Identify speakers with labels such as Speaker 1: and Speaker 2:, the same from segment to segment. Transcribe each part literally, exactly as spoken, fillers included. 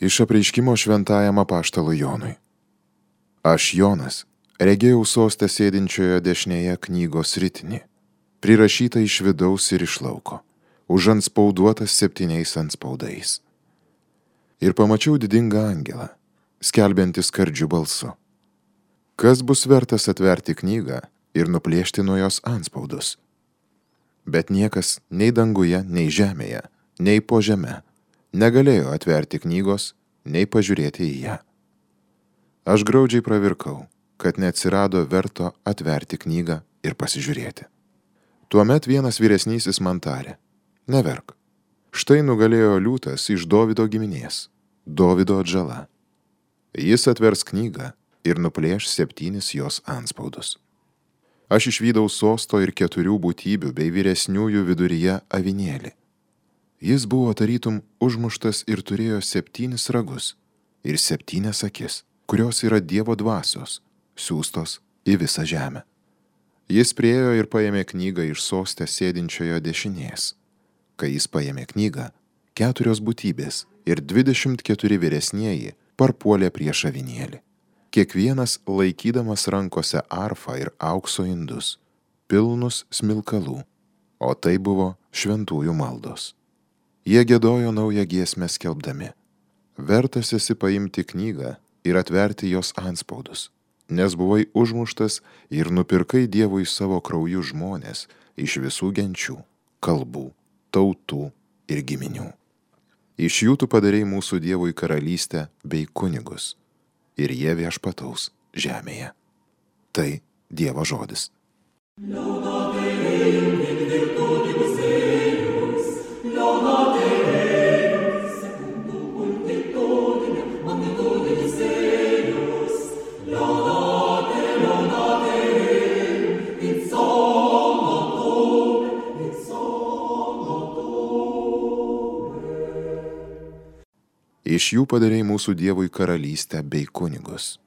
Speaker 1: Iš apreiškimo šventajam apaštalui Jonui. Aš, Jonas, regėjau sostę sėdinčioje dešinėje knygos ritinį, prirašytą iš vidaus ir iš lauko, užantspauduotas septyniais antspaudais. Ir pamačiau didingą angelą, skelbiantį skardžiu balsu. Kas bus vertas atverti knygą ir nuplėšti nuo jos antspaudus? Bet niekas nei danguje, nei žemėje, nei po žeme negalėjo atverti knygos, nei pažiūrėti į ją. Aš graudžiai pravirkau, kad neatsirado verto atverti knygą ir pasižiūrėti. Tuomet vienas vyresnysis man tarė: neverk, štai nugalėjo liūtas iš Dovido giminės, Dovido atžala. Jis atvers knygą ir nuplėš septynis jos antspaudus. Aš išvydau sosto ir keturių būtybių bei vyresniųjų viduryje avinėlį. Jis buvo tarytum užmuštas ir turėjo septynis ragus ir septynias akis, kurios yra Dievo dvasios, siųstos į visą žemę. Jis priėjo ir paėmė knygą iš soste sėdinčiojo dešinės. Kai jis paėmė knygą, keturios būtybės ir dvidešimt keturi vyresnieji parpuolė prieš avinėlį, kiekvienas laikydamas rankose arfą ir aukso indus, pilnus smilkalų, o tai buvo šventųjų maldos. Jie giedojo naują giesmę skelbdami: vertas esi paimti knygą ir atverti jos antspaudus, nes buvai užmuštas ir nupirkai Dievui savo krauju žmonės iš visų genčių, kalbų, tautų ir giminių. Iš jų tu padarei mūsų Dievui karalystę bei kunigus, ir jie viešpataus žemėje. Tai Dievo žodis. Iš jų padarei mūsų Dievui karalystę bei kunigus.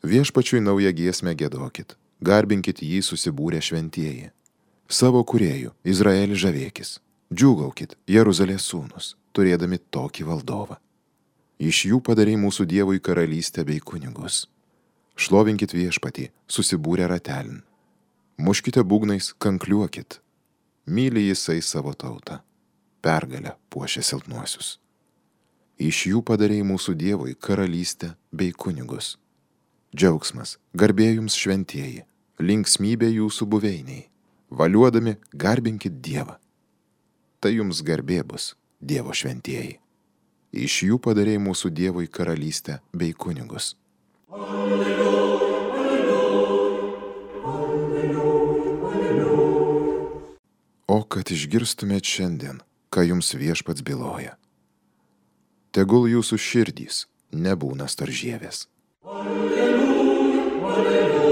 Speaker 1: Viešpačiui naują giesmę giedokit, garbinkit jį susibūrę šventieji. Savo kūrėjų, Izraelį žavėkis, džiūgaukit, Jeruzalės sūnus, turėdami tokį valdovą. Iš jų padarei mūsų Dievui karalystę bei kunigus. Šlovinkit viešpatį, susibūrę ratelin. Muškite būgnais, kankliuokit. Myli jisai savo tautą. Pergalę puošia silpnuosius. Iš jų padarei mūsų Dievui karalystę bei kunigus. Džiaugsmas, garbė jums šventieji, linksmybė jūsų buveiniai. Valiuodami garbinkit Dievą. Tai jums garbė bus, Dievo šventieji. Iš jų padarei mūsų Dievui karalystę bei kunigus. Alleluja, alleluja, alleluja, alleluja. O kad išgirstumėt šiandien, ką jums viešpats byloja. Tegul jūsų širdys nebūna storžėvės. Alleluja, alleluja.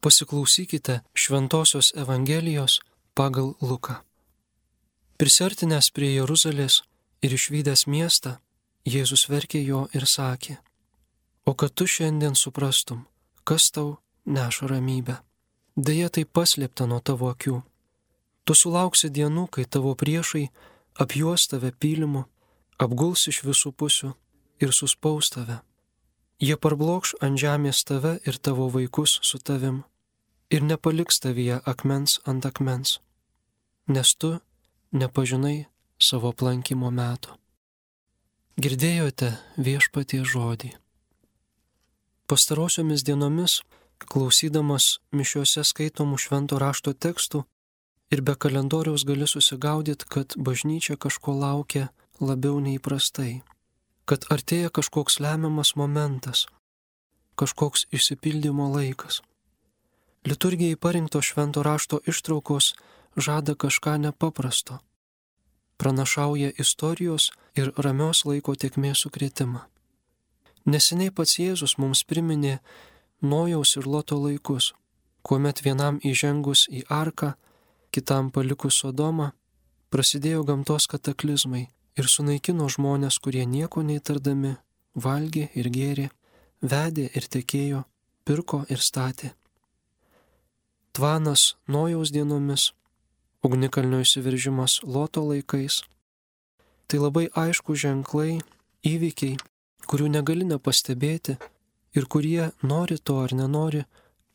Speaker 2: Pasiklausykite Šventosios Evangelijos pagal Luką. Prisiartinęs prie Jeruzalės ir išvydęs miestą, Jėzus verkė jo ir sakė: o kad tu šiandien suprastum, kas tau neša ramybę. Deja, tai paslėpta nuo tavo akių. Tu sulauksi dienų, kai tavo priešai apjuos tave pylimu, apguls iš visų pusių ir suspaus tave. Jie parblokš ant žemės tave ir tavo vaikus su tavim ir nepaliks tavyje akmens ant akmens, nes tu nepažinai savo aplankimo meto. Girdėjote viešpaties žodį. Pastarosiomis dienomis, klausydamas mišiose skaitomų švento rašto tekstų ir be kalendoriaus gali susigaudyti, kad bažnyčia kažko laukia labiau neįprastai, kad artėja kažkoks lemiamas momentas, kažkoks išsipildymo laikas. Liturgijai parinkto švento rašto ištraukos žada kažką nepaprasto, pranašauja istorijos ir ramios laiko tėkmės sukrėtimą. Neseniai pats Jėzus mums priminė Nojaus ir Loto laikus, kuomet vienam įžengus į arką, kitam palikus Sodomą, prasidėjo gamtos kataklizmai ir sunaikino žmonės, kurie nieko neįtardami, valgė ir gėrė, vedė ir tekėjo, pirko ir statė. tvanas Nojaus dienomis, ugnikalnio įsiveržimas Loto laikais. Tai labai aišku ženklai, įvykiai, kurių negali nepastebėti ir kurie, nori to ar nenori,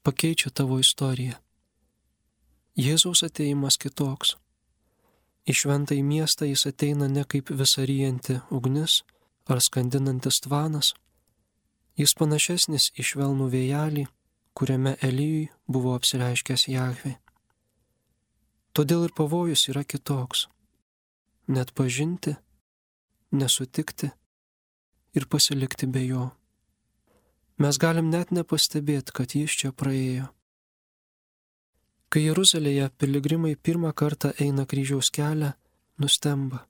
Speaker 2: pakeičia tavo istoriją. Jėzaus atėjimas kitoks. Į šventąjį miestą jis ateina ne kaip visaryjanti ugnis ar skandinantis tvanas. Jis panašesnis į švelnų vėjelį, kuriame Elijui buvo apsireiškęs Jahvė. Todėl ir pavojus yra kitoks. Net pažinti, nesutikti ir pasilikti be jo. Mes galim net nepastebėti, kad jis čia praėjo. Kai Jeruzalėje piligrimai pirmą kartą eina kryžiaus kelią, nustemba.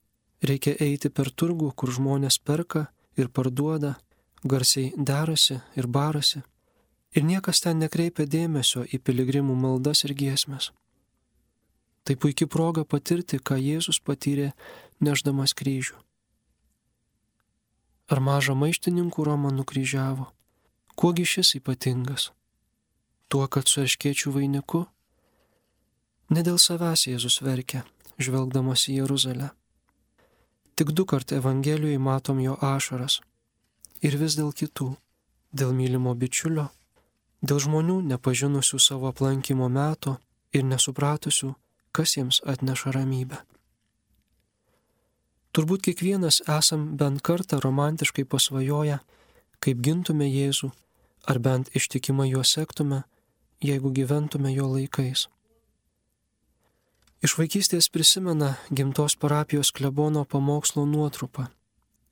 Speaker 2: Reikia eiti per turgų, kur žmonės perka ir parduoda, garsiai derasi ir barasi. Ir niekas ten nekreipia dėmesio į piligrimų maldas ir giesmes. Tai puikia proga patirti, ką Jėzus patyrė nešdamas kryžių. Ar mažą maištininkų Romą nukryžiavo? Kuogi šis ypatingas? Tuo, kad su erškėčių vainiku? Ne dėl savęs Jėzus verkia, žvelgdamas į Jeruzalę. Tik du kart Evangelijoje matom jo ašaras. Ir vis dėl kitų, dėl mylimo bičiulio, dėl žmonių nepažinusių savo aplankimo meto ir nesupratusių, kas jiems atneša ramybę. Turbūt kiekvienas esam bent kartą romantiškai pasvajoję, kaip gintume Jėzų, ar bent ištikimai juo sektume, jeigu gyventume jo laikais. Iš vaikystės prisimena gimtos parapijos klebono pamokslo nuotrupą,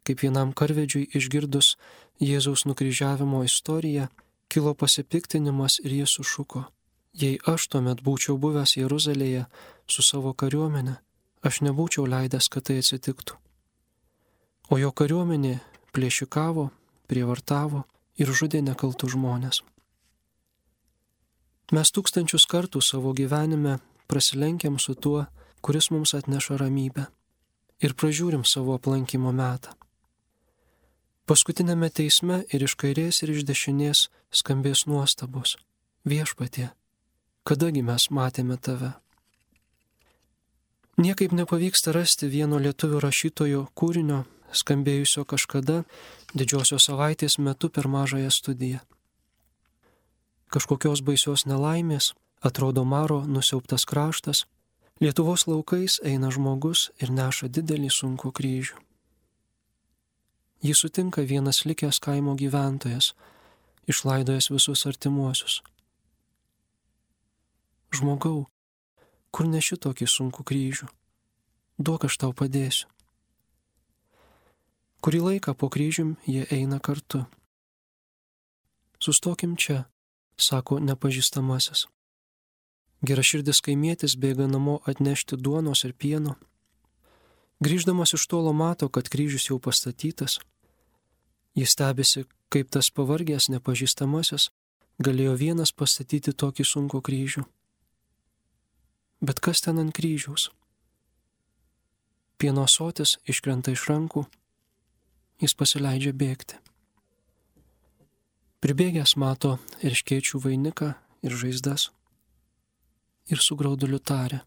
Speaker 2: kaip vienam karvedžiui išgirdus Jėzaus nukryžiavimo istoriją, kilo pasipiktinimas ir jis sušuko: jei aš tuomet būčiau buvęs Jeruzalėje su savo kariuomenė, aš nebūčiau leidęs, kad tai atsitiktų. O jo kariuomenė plėšikavo, prievartavo ir žudė nekaltus žmonės. Mes tūkstančius kartų savo gyvenime prasilenkiam su tuo, kuris mums atneša ramybę, ir pražiūrim savo aplankimo metą. Paskutinėme teisme ir iš kairės ir iš dešinės skambės nuostabos: Viešpatie, kadagi mes matėme tave? Niekaip nepavyksta rasti vieno lietuvių rašytojo kūrinio, skambėjusio kažkada didžiosios savaitės metu per mažąją studiją. Kažkokios baisios nelaimės, atrodo maro nusiaubtas kraštas, Lietuvos laukais eina žmogus ir neša didelį sunkų kryžių. Jį sutinka vienas likęs kaimo gyventojas, išlaidojęs visus artimuosius. Žmogau, kur neši tokį sunkų kryžių? Duok, aš tau padėsiu. Kurį laiką po kryžium jie eina kartu. Sustokim čia, sako nepažįstamasis. Geraširdis kaimietis bėga namo atnešti duonos ir pieno. Grįždamas iš tolo mato, kad kryžius jau pastatytas. Jis stebisi, kaip tas pavargęs nepažįstamasis galėjo vienas pastatyti tokį sunkų kryžių. Bet kas ten ant kryžiaus? Pieno ąsotis iškrenta iš rankų, jis pasileidžia bėgti. Pribėgęs mato erškėčių vainiką ir žaizdas ir su grauduliu taria: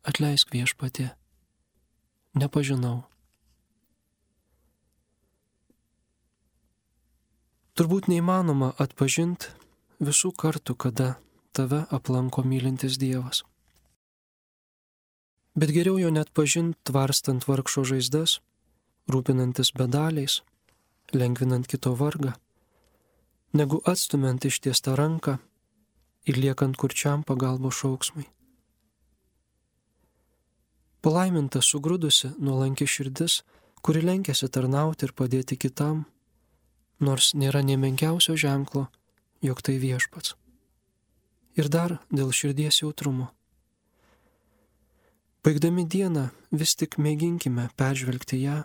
Speaker 2: atleisk, Viešpatie, nepažinau. Turbūt neįmanoma atpažinti visų kartų, kada tave aplanko mylintis Dievas. Bet geriau jo net pažinti tvarstant vargšo žaizdas, rūpinantis bedaliais, lengvinant kito vargą, negu atstumiant ištiestą ranką ir liekant kurčiam pagalbos šauksmui. Palaiminta sugrūdusi nuolanki širdis, kuri lenkiasi tarnauti ir padėti kitam, nors nėra nė menkiausio ženklo, jog tai Viešpats. Ir dar dėl širdies jautrumo. Baigdami dieną vis tik mėginkime peržvelgti ją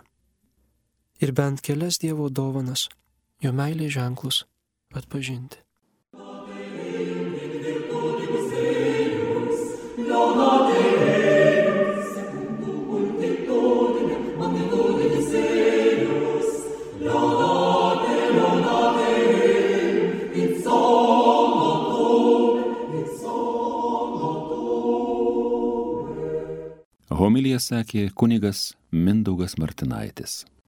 Speaker 2: ir bent kelias Dievo dovanas, jo meilės ženklus atpažinti.
Speaker 3: It's all Homiliją sakė kunigas Mindaugas Martinaitis.